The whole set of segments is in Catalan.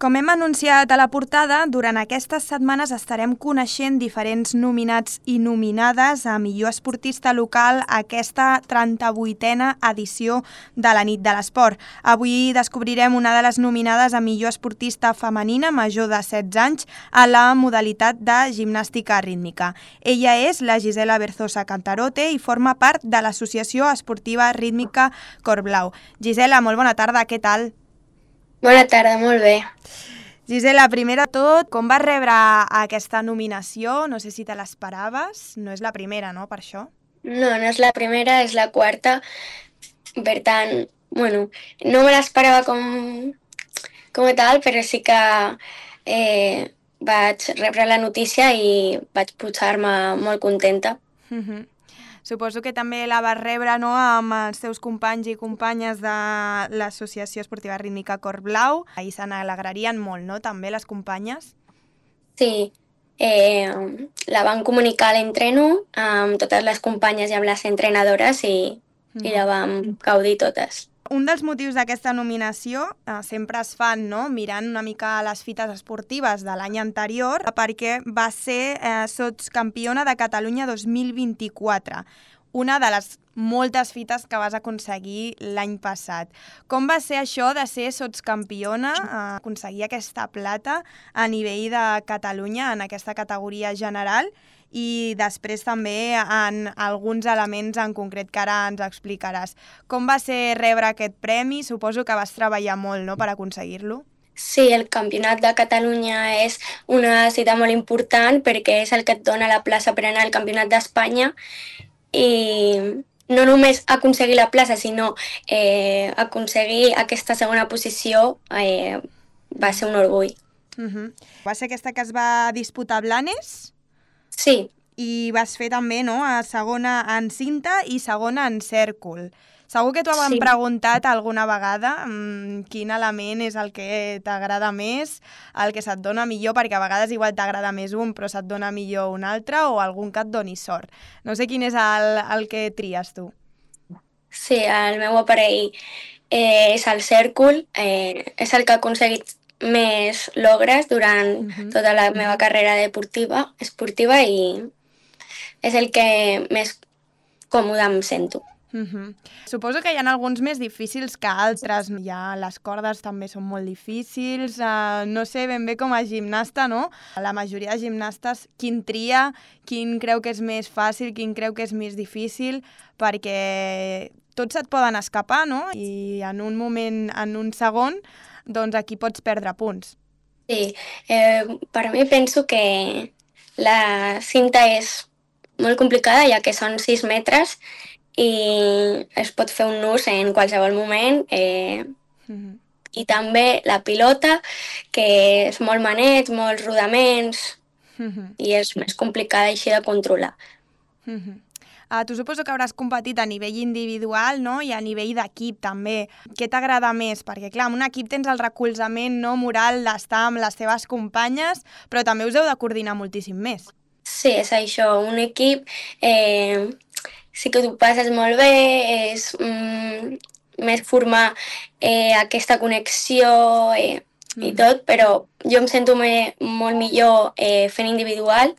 Com hem anunciat a la portada, durant aquestes setmanes estarem coneixent diferents nominats i nominades a millor esportista local a aquesta 38a edició de la Nit de l'Esport. Avui descobrirem una de les nominades a millor esportista femenina major de 16 anys a la modalitat de gimnàstica rítmica. Ella és la Gisela Berzosa Cantarote i forma part de l'Associació Esportiva Rítmica Cor Blau. Gisela, molt bona tarda, què tal? Bona tarda, molt bé. Gisela, primer de tot, com vas rebre aquesta nominació? No sé si te l'esperaves. No és la primera, no, per això? No, no és la primera, és la quarta. Per tant, bueno, no me l'esperava com a tal, però sí que vaig rebre la notícia i vaig posar-me molt contenta. Suposo que també la vas rebre, no?, amb els teus companys i companyes de l'Associació Esportiva Rítmica Cor Blau. Ahir se n'alegrarien molt, no?, també les companyes? Sí, la van comunicar a l'entreno amb totes les companyes i amb les entrenadores i la vam gaudir totes. Un dels motius d'aquesta nominació sempre es fan, no?, mirant una mica les fites esportives de l'any anterior, perquè va ser sotscampiona de Catalunya 2024, una de les moltes fites que vas aconseguir l'any passat. Com va ser això de ser sotscampiona, aconseguir aquesta plata a nivell de Catalunya en aquesta categoria general? I després també en alguns elements en concret que ara ens explicaràs. Com va ser rebre aquest premi? Suposo que vas treballar molt, no?, per aconseguir-lo. Sí, el Campionat de Catalunya és una cita molt important perquè és el que et dona la plaça per anar al Campionat d'Espanya i no només aconseguir la plaça, sinó aconseguir aquesta segona posició va ser un orgull. Va ser aquesta que es va disputar a Blanes? Sí. I vas fer també, no?, segona en cinta i segona en cèrcol. Segur que t'ho han preguntat alguna vegada quin element és el que t'agrada més, el que se't dona millor, perquè a vegades igual t'agrada més un però se't dona millor un altre o algun que et doni sort. No sé quin és el que tries tu. Sí, el meu aparell és el cèrcol, és el que ha aconseguit més logres durant tota la meva carrera esportiva i és el que més còmode em sento. Suposo que hi ha alguns més difícils que altres. Les cordes també són molt difícils. No sé ben bé com a gimnasta, no? La majoria de gimnastes, quin tria, quin creu que és més fàcil, quin creu que és més difícil, perquè tots et poden escapar, no? I en un moment, en un segon, doncs aquí pots perdre punts. Sí, per mi penso que la cinta és molt complicada, ja que són 6 metres i es pot fer un nus en qualsevol moment. I també la pilota, que és molt maneig, molts rodaments, i és més complicada així de controlar. Tu suposo que hauràs competit a nivell individual, no?, i a nivell d'equip també. Què t'agrada més? Perquè, clar, en un equip tens el recolzament, no?, moral d'estar amb les teves companyes, però també us heu de coordinar moltíssim més. Sí, és això. Un equip sí que t'ho passes molt bé, és més formar aquesta connexió i tot, però jo em sento molt millor fent individual.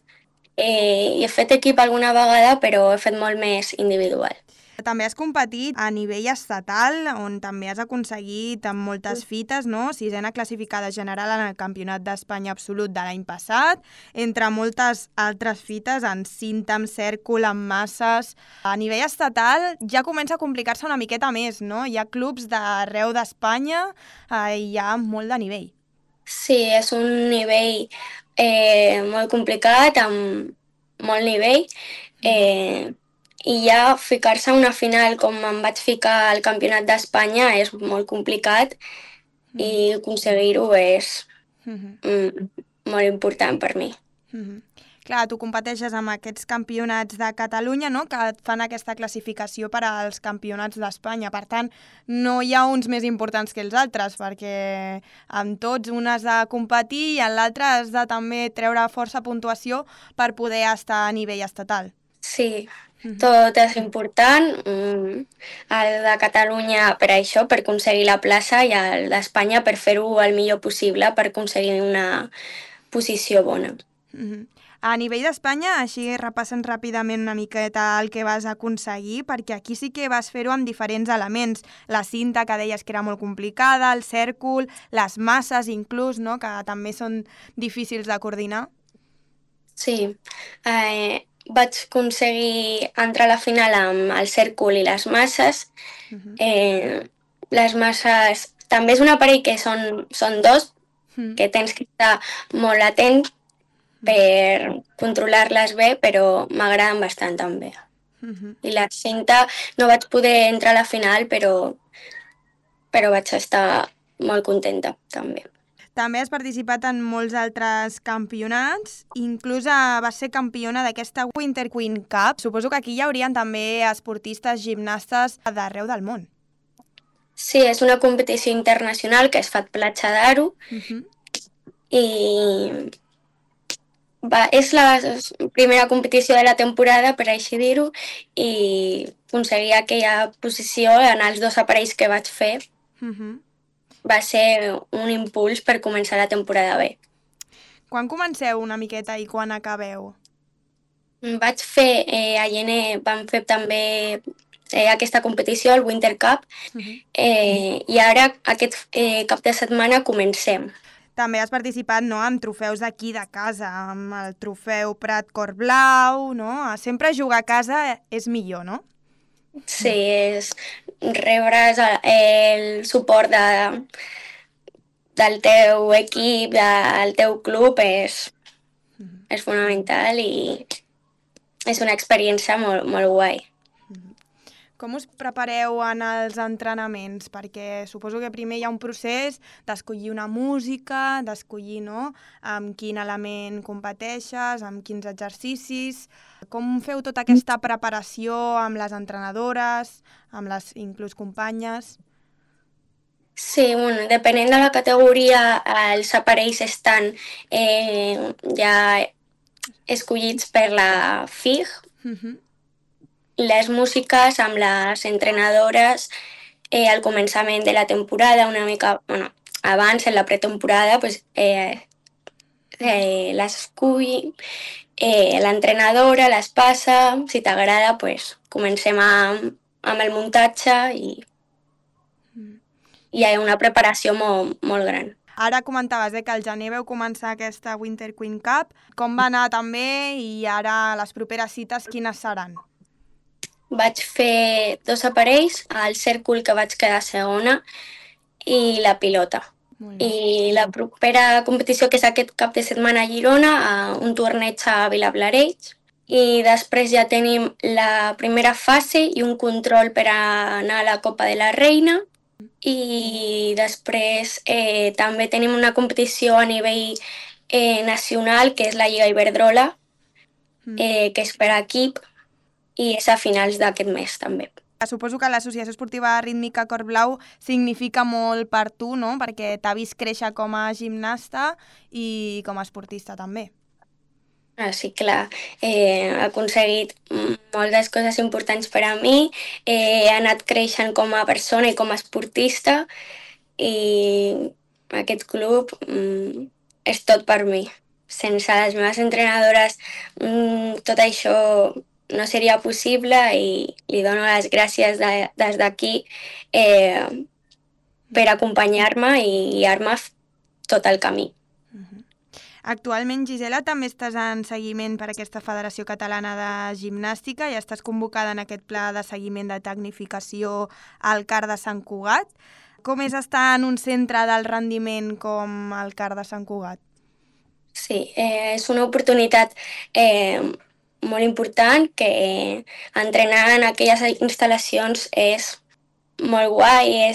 He fet equip alguna vegada, però he fet molt més individual. També has competit a nivell estatal, on també has aconseguit amb moltes fites, no? 6a classificada general en el Campionat d'Espanya absolut de l'any passat, entre moltes altres fites en cinta, amb cèrcol, amb masses. A nivell estatal ja comença a complicar-se una miqueta més, no? Hi ha clubs d'arreu d'Espanya i hi ha molt de nivell. Sí, és un nivell molt complicat, amb molt nivell, i ja ficar-se a una final com em vaig ficar al Campionat d'Espanya és molt complicat i aconseguir-ho és molt important per mi. Clar, tu competeixes amb aquests campionats de Catalunya, no?, que et fan aquesta classificació per als campionats d'Espanya. Per tant, no hi ha uns més importants que els altres, perquè amb tots un has de competir i en l'altre has de també treure força puntuació per poder estar a nivell estatal. Sí, Mhm. tot és important. El de Catalunya per això, per aconseguir la plaça, i el d'Espanya per fer-ho el millor possible, per aconseguir una posició bona. Mhm. A nivell d'Espanya, així repassen ràpidament una miqueta el que vas aconseguir, perquè aquí sí que vas fer-ho amb diferents elements. La cinta, que deies que era molt complicada, el cèrcol, les masses inclús, no?, que també són difícils de coordinar. Sí, vaig aconseguir entrar a la final amb el cèrcol i les masses. Mhm. Les masses també és un aparell que són dos, Mhm. que tens que estar molt atent per controlar-les bé, però m'agraden bastant també. Mhm. I la cinta no vaig poder entrar a la final, però vaig estar molt contenta també. També has participat en molts altres campionats, inclús vas ser campiona d'aquesta Winter Queen Cup. Suposo que aquí hi haurien també esportistes, gimnastes d'arreu del món. Sí, és una competició internacional que es fa a Platja d'Aro Mhm. i és la primera competició de la temporada, per així dir-ho, i aconseguir aquella posició en els dos aparells que vaig fer Mhm. va ser un impuls per començar la temporada bé. Quan comenceu una miqueta i quan acabeu? Vaig fer, a gener vam fer també aquesta competició, el Winter Cup, Mhm. i ara aquest cap de setmana comencem. També has participat, no?, amb trofeus d'aquí de casa, amb el trofeu Prat Cor Blau, no? Sempre jugar a casa és millor, no? Sí, és rebre's el suport del teu equip, del teu club, és fonamental i és una experiència molt, molt guai. Com us prepareu en els entrenaments? Perquè suposo que primer hi ha un procés d'escollir una música, d'escollir, no?, amb quin element competeixes, amb quins exercicis. Com feu tota aquesta preparació amb les entrenadores, amb les inclús companyes? Sí, bueno, depenent de la categoria, els aparells estan ja escollits per la FIG. Mhm. Les músiques amb les entrenadores al començament de la temporada, una mica, bueno, abans, en la pretemporada, pues, les escull l'entrenadora, les passa, si t'agrada, pues, comencem amb el muntatge i hi ha una preparació molt, molt gran. Ara comentaves que al gener veu començar aquesta Winter Queen Cup. Com va anar també i ara les properes cites quines seran? Vaig fer 2 aparells, el cèrcol que vaig quedar segona i la pilota. Molt bé. I la propera competició, que és aquest cap de setmana a Girona, un torneig a Vilablareix. I després ja tenim la primera fase i un control per anar a la Copa de la Reina. I després també tenim una competició a nivell nacional, que és la Lliga Iberdrola, que és per equip, i és a finals d'aquest mes també. Suposo que l'Associació Esportiva Rítmica Cor Blau significa molt per tu, no?, perquè t'ha vist créixer com a gimnasta i com a esportista també. Sí, clar, he aconseguit moltes coses importants per a mi, he anat creixent com a persona i com a esportista i aquest club és tot per mi. Sense les meves entrenadores tot això no seria possible i li dono les gràcies des d'aquí per acompanyar-me i guiar-me tot el camí. Actualment, Gisela, també estàs en seguiment per aquesta Federació Catalana de Gimnàstica i estàs convocada en aquest pla de seguiment de tecnificació al CAR de Sant Cugat. Com és estar en un centre del rendiment com el CAR de Sant Cugat? Sí, és una oportunitat molt important que entrenar en aquelles instal·lacions és molt guai,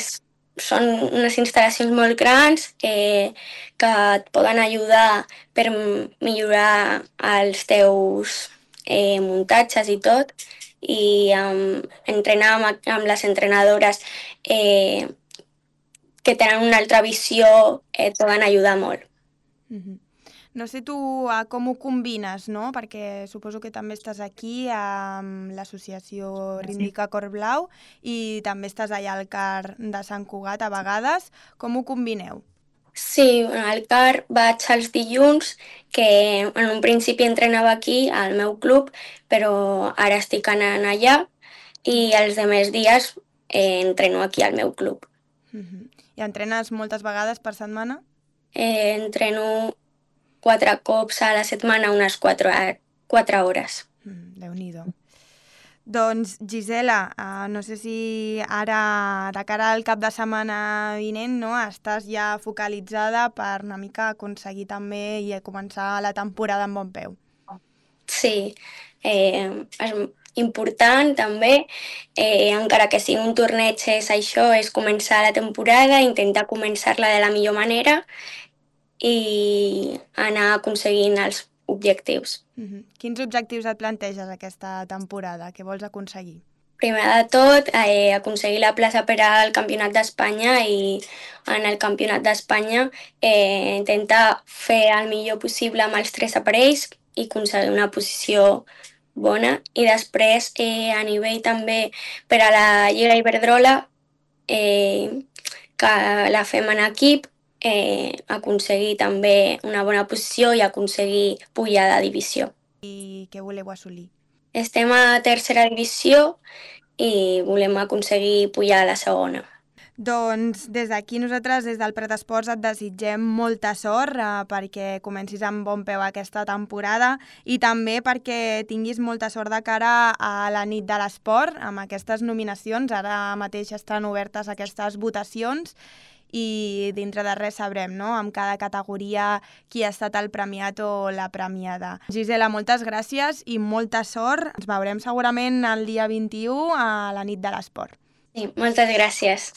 són unes instal·lacions molt grans que et poden ajudar per millorar els teus muntatges i tot, i entrenar amb les entrenadores que tenen una altra visió et poden ajudar molt. No sé tu com ho combines, no? Perquè suposo que també estàs aquí amb l'associació Ríndica Cor Blau i també estàs allà al CAR de Sant Cugat a vegades. Com ho combineu? Sí, al CAR vaig els dilluns, que en un principi entrenava aquí, al meu club, però ara estic anant allà i els demés dies entreno aquí al meu club. I entrenes moltes vegades per setmana? Entreno 4 cops a la setmana, unes 4 hores. Déu-n'hi-do. Doncs, Gisela, no sé si ara, de cara al cap de setmana vinent, no, estàs ja focalitzada per una mica aconseguir també i començar la temporada amb bon peu. Sí, és important també, encara que sigui un torneig és això, és començar la temporada, intentar començar-la de la millor manera i anar aconseguint els objectius. Quins objectius et planteges aquesta temporada? Què vols aconseguir? Primer de tot, aconseguir la plaça per al Campionat d'Espanya i en el Campionat d'Espanya intentar fer el millor possible amb els 3 aparells i aconseguir una posició bona. I després, a nivell també per a la Lliga Iberdrola, que la fem en equip, aconseguir també una bona posició i aconseguir pujar de divisió. I què voleu assolir? Estem a tercera divisió i volem aconseguir pujar a la segona. Doncs des d'aquí nosaltres, des del Prat Esports, et desitgem molta sort perquè comencis amb bon peu aquesta temporada i també perquè tinguis molta sort de cara a la nit de l'esport amb aquestes nominacions. Ara mateix estan obertes aquestes votacions i dintre de res sabrem, no?, amb cada categoria qui ha estat el premiat o la premiada. Gisela, moltes gràcies i molta sort. Ens veurem segurament el dia 21 a la nit de l'esport. Sí, moltes gràcies.